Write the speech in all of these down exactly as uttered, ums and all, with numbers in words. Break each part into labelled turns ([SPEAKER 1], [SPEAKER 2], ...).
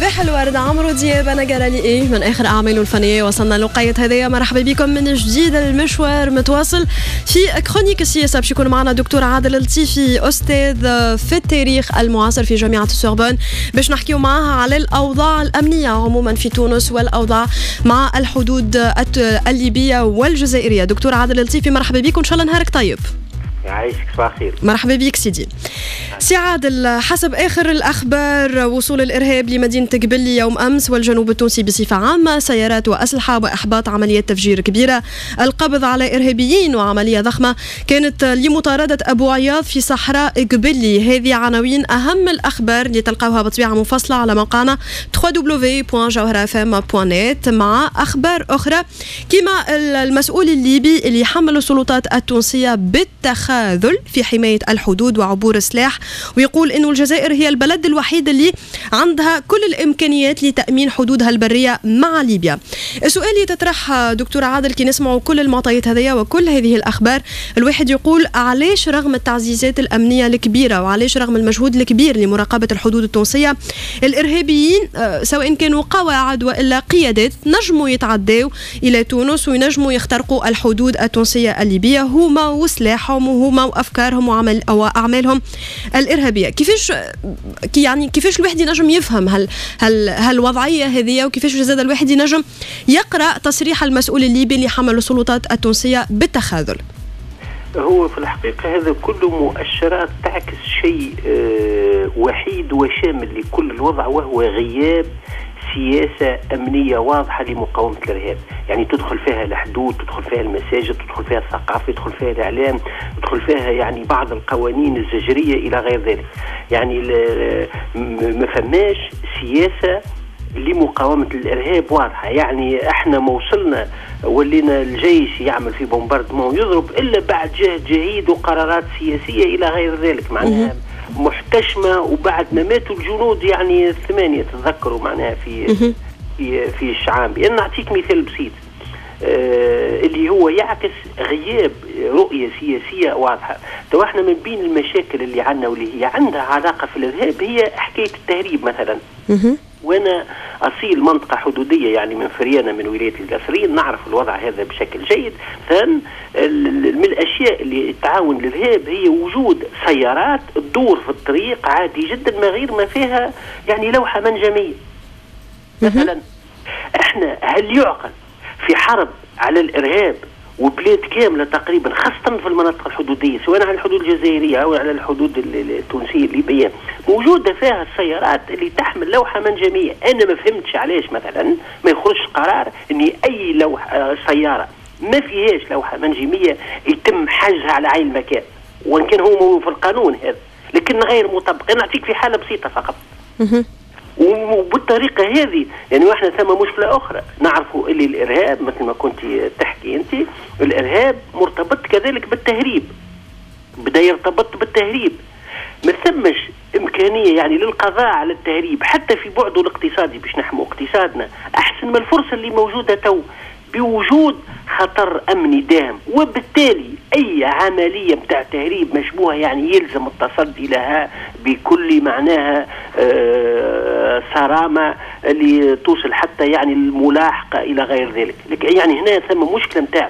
[SPEAKER 1] صباح الورد عمرو دياب، انا جرالي ايه من اخر اعماله الفنية. وصلنا لوقيت هذايا، مرحبا بكم من جديد. المشوار متواصل في chronique السياسه، باش يكون معنا دكتور عادل اللطيفي، استاذ في التاريخ المعاصر في جامعه السوربون، باش نحكيو معاه على الاوضاع الامنية عموما في تونس والاوضاع مع الحدود الليبية والجزائريه. دكتور عادل اللطيفي مرحبا بك وان شاء الله نهارك طيب.
[SPEAKER 2] يعيشك، صباح الخير.
[SPEAKER 1] مرحبا بك سيدي. سي عادل، حسب آخر الأخبار وصول الإرهاب لمدينة قبلي يوم أمس والجنوب التونسي بصفة عامة، سيارات وأسلحة وإحباط عمليات تفجير كبيرة، القبض على إرهابيين وعملية ضخمة كانت لمطاردة أبو عياض في صحراء قبلي. هذه عناوين أهم الأخبار اللي تلقاوها بطبيعة مفصلة على موقعنا دبليو دبليو دبليو دوت جوهرة اف ام دوت نت، مع أخبار أخرى كما المسؤول الليبي اللي حمل السلطات التونسية بالتخاذل في حماية الحدود وعبور السلاح، ويقول أنه الجزائر هي البلد الوحيد اللي عندها كل الإمكانيات لتأمين حدودها البرية مع ليبيا. السؤال اللي تطرح دكتور عادل كي نسمعوا كل المعطيات هذيا وكل هذه الأخبار، الواحد يقول علاش رغم التعزيزات الأمنية الكبيرة وعلاش رغم المجهود الكبير لمراقبة الحدود التونسية، الإرهابيين سواء كانوا قواعد وإلا قيادات نجموا يتعداو إلى تونس وينجموا يخترقوا الحدود التونسية الليبية، هما وسلاحهم وهما وأفكارهم وعمل أو أعمالهم الإرهابية. كيفاش يعني كيفاش الواحد ينجم يفهم هل هل هالوضعية هذه، وكيفاش زاد الواحد ينجم يقرأ تصريح المسؤول الليبي اللي حمل السلطات التونسية بالتخاذل؟
[SPEAKER 2] هو في الحقيقة هذا كله مؤشرات تعكس شيء وحيد وشامل لكل الوضع، وهو غياب سياسة أمنية واضحة لمقاومة الإرهاب. يعني تدخل فيها الحدود، تدخل فيها المساجد، تدخل فيها الثقافة، تدخل فيها الإعلام، تدخل فيها يعني بعض القوانين الزجرية إلى غير ذلك. يعني ما فماش سياسة لمقاومة الإرهاب واضحة. يعني احنا ما وصلنا ولينا الجيش يعمل في bombardement يضرب إلا بعد جهد جهيد وقرارات سياسية إلى غير ذلك، معناها محتشمة. وبعد ما ماتوا الجنود يعني الثمانية تتذكروا معناها في في في الشعامبي. أنا نعطيك مثال بسيط آه اللي هو يعكس غياب رؤية سياسية واضحة. تو احنا من بين المشاكل اللي عندنا واللي هي عندها علاقة في الإرهاب هي حكاية التهريب مثلا. وانا اصيل منطقة حدوديه يعني من فريانه من ولاية القصرين، نعرف الوضع هذا بشكل جيد. مثلا من الاشياء اللي تعاون للارهاب هي وجود سيارات تدور في الطريق عادي جدا ما غير ما فيها يعني لوحة منجميه. مثلا احنا هل يعقل في حرب على الارهاب وبلاد كاملة تقريبا خاصة في المناطق الحدوديه سواء على الحدود الجزائرية او على الحدود التونسية الليبية موجودة فيها السيارات اللي تحمل لوحة منجميه؟ انا ما فهمتش علاش مثلا ما يخرجش قرار ان اي لوحة سيارة ما فيهاش لوحة منجميه يتم حجزها على عين المكان، وان كان هو في القانون هذا لكن غير مطبق. انا نعطيك في حاله بسيطة فقط. وبالطريقة هذه يعني واحنا ثم مشكلة أخرى نعرفوا اللي الإرهاب مثل ما كنت تحكي أنت، الإرهاب مرتبط كذلك بالتهريب، بدأ يرتبط بالتهريب. ما ثمش إمكانية يعني للقضاء على التهريب حتى في بعده الاقتصادي باش نحمو اقتصادنا أحسن من الفرصة اللي موجودة تو بوجود خطر أمني داهم، وبالتالي أي عملية متاع تهريب مشبوهة يعني يلزم التصدي لها بكل معناها آه صرامة اللي توصل حتى يعني الملاحقة إلى غير ذلك. يعني هنا ثم مشكلة متاع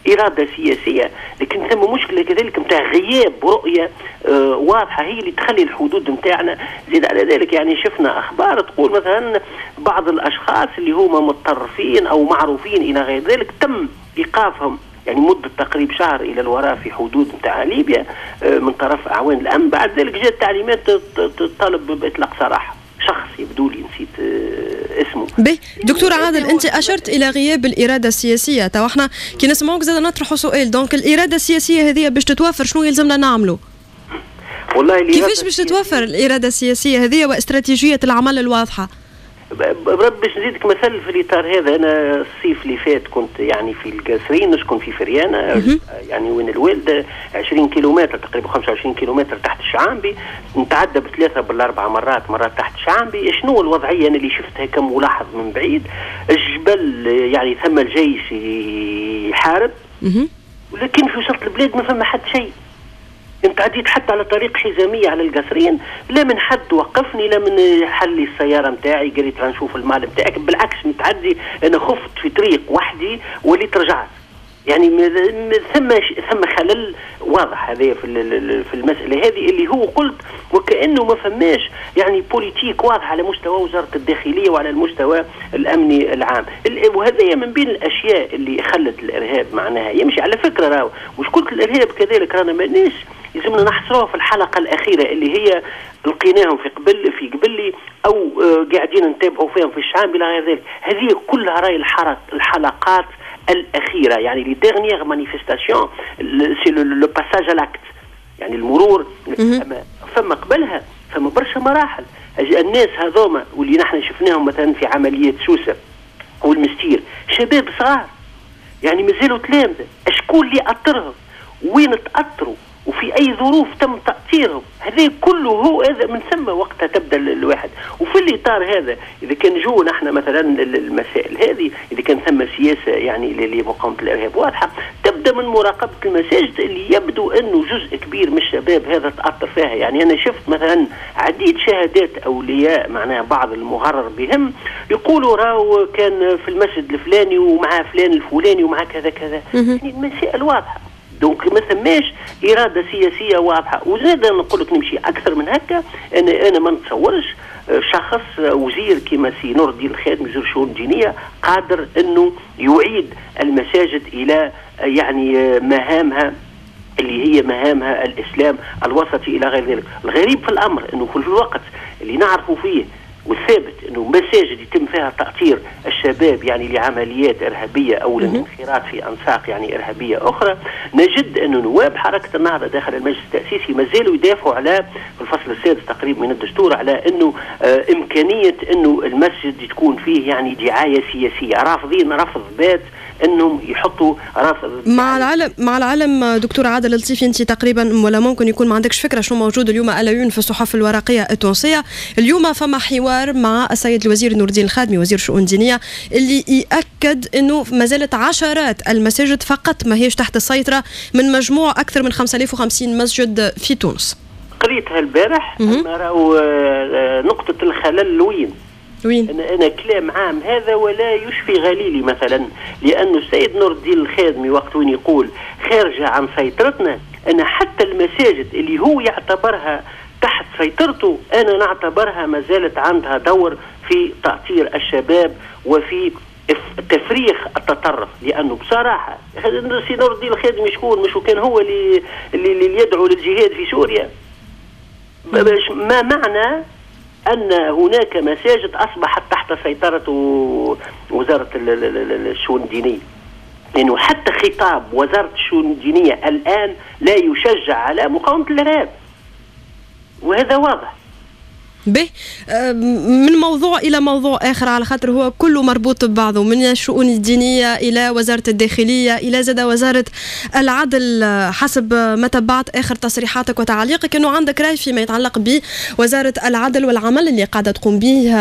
[SPEAKER 2] إرادة سياسية، لكن ثم مشكلة كذلك متاع غياب رؤية آه واضحة هي اللي تخلي الحدود متاعنا. زيد على ذلك يعني شفنا أخبار تقول مثلا بعض الأشخاص اللي هما متطرفين أو معروفين إلى غير ذلك تم إيقافهم يعني مدة تقريب شهر إلى الوراء في حدود متاع ليبيا آه من طرف أعوان الأمن. بعد ذلك جاءت تعليمات تطالب بإطلاق سراح شخص يبدو لي نسيت اسمه.
[SPEAKER 1] به دكتور عادل، انت اشرت الى غياب الارادة السياسية. تو احنا كي نسمعوك زاد نطرحوا سؤال، donc الارادة السياسية هذه باش تتوفر شنو يلزمنا نعملوا؟
[SPEAKER 2] والله
[SPEAKER 1] كيفاش باش تتوفر الارادة السياسية هذه واستراتيجيه العمل الواضحة؟
[SPEAKER 2] برب باش نزيدك مثل في الاطار هذا، انا الصيف اللي فات كنت يعني في القصرين، نسكن في فريانه يعني وين الوالدة عشرين كيلومتر تقريبا خمسة وعشرين كيلومتر تحت الشعامبي، نتعدى بثلاثة بالاربع مرات مرات تحت الشعامبي. شنو الوضعية انا اللي شفتها كملاحظ من بعيد؟ الجبل يعني ثم الجيش يحارب، ولكن في وسط البلاد ما فما حد شيء. انت عديت حتى على طريق حزاميه على القصرين، لا من حد وقفني، لا من حل لي السيارة نتاعي قال لي نشوف المال نتاعك، بالعكس متعدي انا خفت في طريق وحدي وليت رجعت. يعني ثم ثم خلل واضح هذا في في المسالة هذه اللي هو قلت وكانه ما فماش يعني politique واضحة على مستوى وزارة الداخلية وعلى المستوى الامني العام، وهذا من بين الاشياء اللي خلت الارهاب معناها يمشي. على فكرة راهو مشكلة الارهاب كذلك رانا ماناش يلزمنا نحصروها في الحلقة الاخيرة اللي هي لقيناهم في قبل في قبلي او قاعدين نتابعوا فيهم في الشعب الى غير ذلك، هذه كلها راي الحلقات الأخيرة، يعني les dernières manifestations c'est le passage à l'acte، يعني المرور. أما فما قبلها فما برشا مراحل. الناس هذوما واللي نحن شفناهم مثلا في عملية سوسة والمستير شباب صغار يعني مازالوا تلامذة، اشكون اللي أطرهم؟ وين تأطروا؟ وفي أي ظروف تم تأطيرهم؟ هذا كله هو هذا من ثم وقتها تبدا الواحد. وفي الاطار هذا اذا كان جو نحن مثلا المسائل هذه، اذا كان ثم سياسة يعني لمقاومة الارهاب واضحة، تبدا من مراقبة المساجد اللي يبدو انه جزء كبير من الشباب هذا تاثر فيها. يعني انا شفت مثلا عديد شهادات اولياء معناها بعض المغرر بهم يقولوا راهو كان في المسجد الفلاني ومع فلان الفلاني ومع كذا كذا، يعني المسائل واضحة. donc ما ثماش إرادة سياسية واضحة. وزاد نقول لك نمشي أكثر من هكا، أنا أنا ما نتصورش شخص وزير كما سي نور الدين الخادم وزير الشؤون الدينية قادر أنه يعيد المساجد إلى يعني مهامها اللي هي مهامها الإسلام الوسطي إلى غير ذلك. الغريب في الأمر أنه في الوقت اللي نعرفه فيه والثابت انه مساجد يتم فيها تأطير الشباب يعني لعمليات ارهابية او للانخراط في انساق يعني ارهابية اخرى، نجد انه نواب حركة النهضة داخل المجلس التاسيسي ما زالوا يدافعوا على في الفصل السادس تقريبا من الدستور على انه آه امكانية انه المسجد تكون فيه يعني دعاية سياسية، رافضين رفض بات انهم يحطوا رافض.
[SPEAKER 1] مع العلم مع العلم دكتور عادل اللطيفي، انت تقريبا ولا ممكن يكون ما عندكش فكرة شنو موجود اليوم à la une في الصحف الورقية التونسية. اليوم فما حوار مع السيد الوزير نور الدين الخادمي وزير الشؤون الدينية اللي ياكد انه ما زالت عشرات المساجد فقط ما هيش تحت السيطرة من مجموع اكثر من خمسة آلاف وخمسين مسجد في تونس.
[SPEAKER 2] قريتها البارح، اما راهو نقطة الخلل وين؟
[SPEAKER 1] وين؟
[SPEAKER 2] أنا, أنا كلام عام هذا ولا يشفي غليلي مثلا، لأنه السيد نور الدين الخادمي وقت وين يقول خارجة عن سيطرتنا، أنا حتى المساجد اللي هو يعتبرها تحت سيطرته أنا نعتبرها ما زالت عندها دور في تأطير الشباب وفي تفريخ التطرف. لأنه بصراحة سي نور الدين الخادمي شكون؟ مش كان هو اللي اللي يدعو للجهاد في سوريا؟ ما معنى أن هناك مساجد أصبحت تحت سيطرة وزارة الشؤون الدينية؟ لأنه حتى خطاب وزارة الشؤون الدينية الآن لا يشجع على مقاومة الإرهاب، وهذا واضح.
[SPEAKER 1] به من موضوع إلى موضوع آخر على خاطر هو كله مربوط ببعضه، من الشؤون الدينية إلى وزارة الداخلية إلى زاد وزارة العدل. حسب ما تبعت آخر تصريحاتك وتعليقك أنه عندك رأي فيما يتعلق بوزارة العدل والعمل اللي قاعدة تقوم به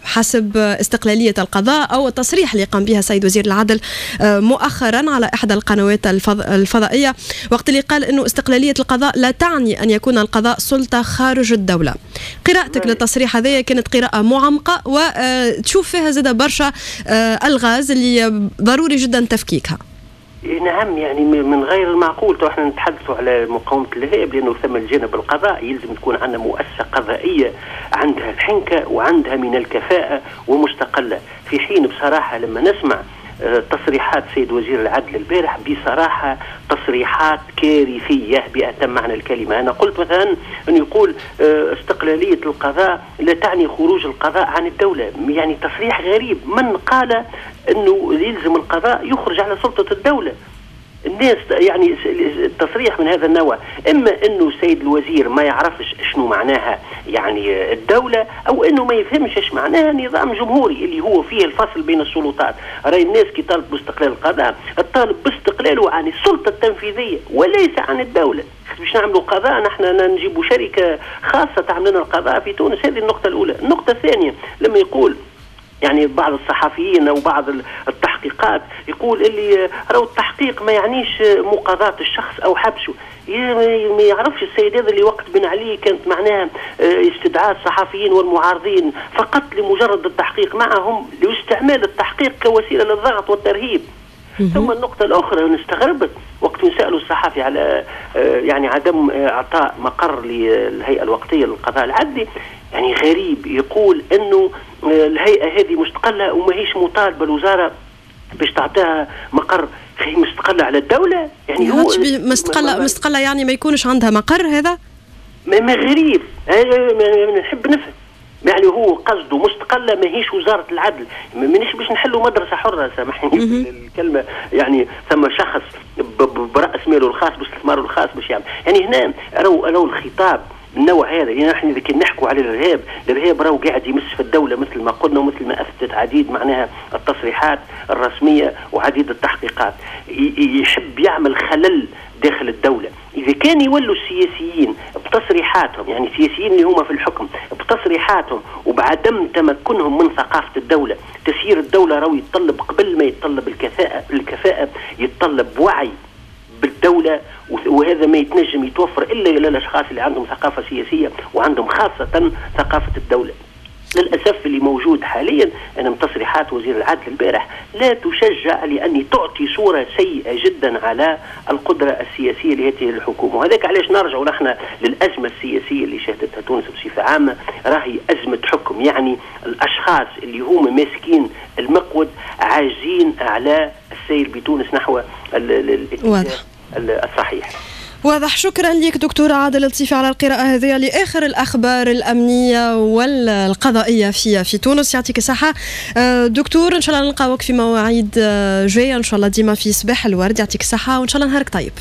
[SPEAKER 1] حسب استقلالية القضاء أو التصريح اللي قام بها السيد وزير العدل مؤخرا على إحدى القنوات الفضائية وقت اللي قال أنه استقلالية القضاء لا تعني أن يكون القضاء سلطة خارج الدولة. قراءة للتصريح هذايا كانت قراءة معمقة وتشوف فيها زاد برشا الغاز اللي ضروري جدا تفكيكها.
[SPEAKER 2] نعم، يعني من غير المعقول تو احنا نتحدثوا على مقاومة الإرهاب، لأنه ثم الجانب القضائي يلزم تكون عندنا مؤسسة قضائية عندها الحنكة وعندها من الكفاءة ومستقلة. في حين بصراحة لما نسمع تصريحات سيد وزير العدل البارح بصراحة تصريحات كارثية بأتم معنى الكلمة. أنا قلت مثلا أن يقول استقلالية القضاء لا تعني خروج القضاء عن الدولة، يعني تصريح غريب. من قال أنه يلزم القضاء يخرج على سلطة الدولة؟ الناس يعني التصريح من هذا النوع إما أنه السيد الوزير ما يعرفش شنو معناها يعني الدولة، أو أنه ما يفهمش إيش معناها نظام جمهوري اللي هو فيه الفصل بين السلطات. رأي الناس كي طالب باستقلال القضاء الطالب باستقلاله عن السلطة التنفيذية وليس عن الدولة. باش نعملوا قضاء نحن نجيبوا شركة خاصة تعمل لنا القضاء في تونس؟ هذه النقطة الأولى. النقطة الثانية لما يقول يعني بعض الصحفيين او بعض التحقيقات يقول اللي راهو التحقيق ما يعنيش مقاضاة الشخص او حبسه. ما يعرفش السيد هذا اللي وقت بن علي كانت معناها استدعاء الصحفيين والمعارضين فقط لمجرد التحقيق معهم، لاستعمال التحقيق كوسيلة للضغط والترهيب. ثم النقطة الأخرى أنا استغربت وقت سألوا الصحفي على يعني عدم إعطاء مقر للهيئة الوقتية للقضاء العدلي، يعني غريب يقول أنه الهيئة هذه مستقلة وماهيش مطالبة الوزارة باش تعطيها مقر. هي مستقلة على الدولة،
[SPEAKER 1] يعني هو مستقلة مستقلة يعني ما يكونش عندها مقر. هذا
[SPEAKER 2] ما غريب، نحب نفهم يعني هو قصده مستقلة ماهيش وزارة العدل. مانيش باش نحلوا مدرسه حره، سامحني الكلمة، يعني ثم شخص براس ماله الخاص باستثماره الخاص باش يعمل. يعني هنا راهو راهو الخطاب النوع هذا، يعني نحن اذا كنا نحكوا على الارهاب، الارهاب راهو قاعد يمس في الدولة مثل ما قلنا ومثل ما اثبتت عديد معناها التصريحات الرسمية وعديد التحقيقات، يحب يعمل خلل داخل الدولة. اذا كان يولوا السياسيين بتصريحاتهم، يعني السياسيين اللي هما في الحكم بتصريحاتهم وبعدم تمكنهم من ثقافة الدولة، تسيير الدولة راهو يتطلب قبل ما يتطلب الكفاءة، الكفاءة يتطلب وعي بالدولة، وهذا ما يتنجم يتوفر الا للاشخاص اللي عندهم ثقافة سياسية وعندهم خاصة ثقافة الدولة. للاسف اللي موجود حاليا ان تصريحات وزير العدل البارح لا تشجع، لان تعطي صوره سيئه جدا على القدرة السياسية لهذه الحكومة. وهذاك علاش نرجع نحن للازمة السياسية اللي شهدتها تونس بصفة عامة، راهي ازمة حكم، يعني الاشخاص اللي هما ماسكين المقود عاجزين على السير بتونس نحو الاتجاه الصحيح.
[SPEAKER 1] واضح. شكرا لك دكتور عادل اللطيفي على القراءة هذه لآخر الأخبار الأمنية والقضائية في في تونس. يعطيك الصحة دكتور، إن شاء الله نلقاوك في مواعيد جاية إن شاء الله ديما في صباح الورد. يعطيك الصحة وإن شاء الله نهارك طيب.